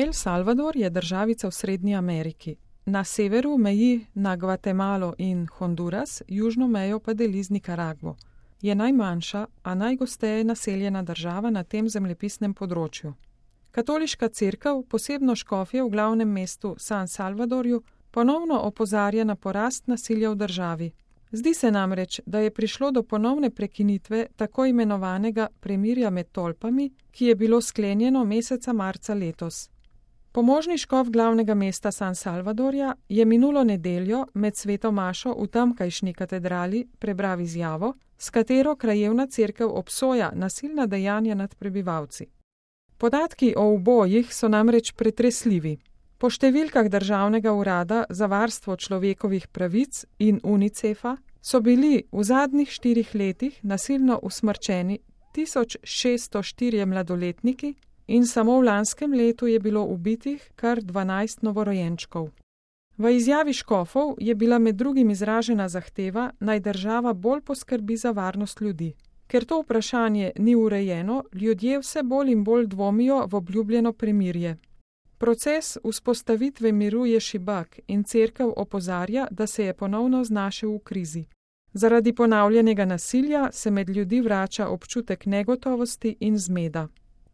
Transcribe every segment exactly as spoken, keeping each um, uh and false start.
El Salvador je državica v Srednji Ameriki. Na severu meji na Gvatemalo in Honduras, južno mejo pa deli z Nikaragvo. Je najmanjša, a najgosteje naseljena država na tem zemljepisnem področju. Katoliška cerkev, posebno škofje v glavnem mestu San Salvadorju, ponovno opozarja na porast nasilja v državi. Zdi se namreč, da je prišlo do ponovne prekinitve tako imenovanega premirja med tolpami, ki je bilo sklenjeno meseca marca letos. Pomožni škof glavnega mesta San Salvadorja je minulo nedeljo med sveto mašo v tamkajšnji katedrali prebral izjavo, s katero krajevna cerkev obsoja nasilna dejanja nad prebivalci. Podatki o ubojih so namreč pretresljivi. Po številkah Državnega urada za varstvo človekovih pravic in Unicefa so bili v zadnjih štirih letih nasilno usmrčeni tisoč šeststo štirje mladoletniki in samo v lanskem letu je bilo ubitih kar dvanajst novorojenčkov. V izjavi škofov je bila med drugim izražena zahteva, naj država bolj poskrbi za varnost ljudi. Ker to vprašanje ni urejeno, ljudje vse bolj in bolj dvomijo v obljubljeno premirje. Proces vzpostavitve miru je šibak in cerkev opozarja, da se je ponovno znašel v krizi. Zaradi ponavljanega nasilja se med ljudi vrača občutek negotovosti in zmeda.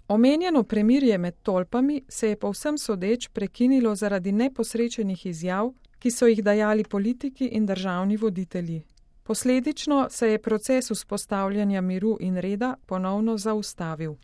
Omenjeno premirje med tolpami se je povsem sodeč prekinilo zaradi neposrečenih izjav, ki so jih dajali politiki in državni voditelji. Posledično se je proces vzpostavljanja miru in reda ponovno zaustavil.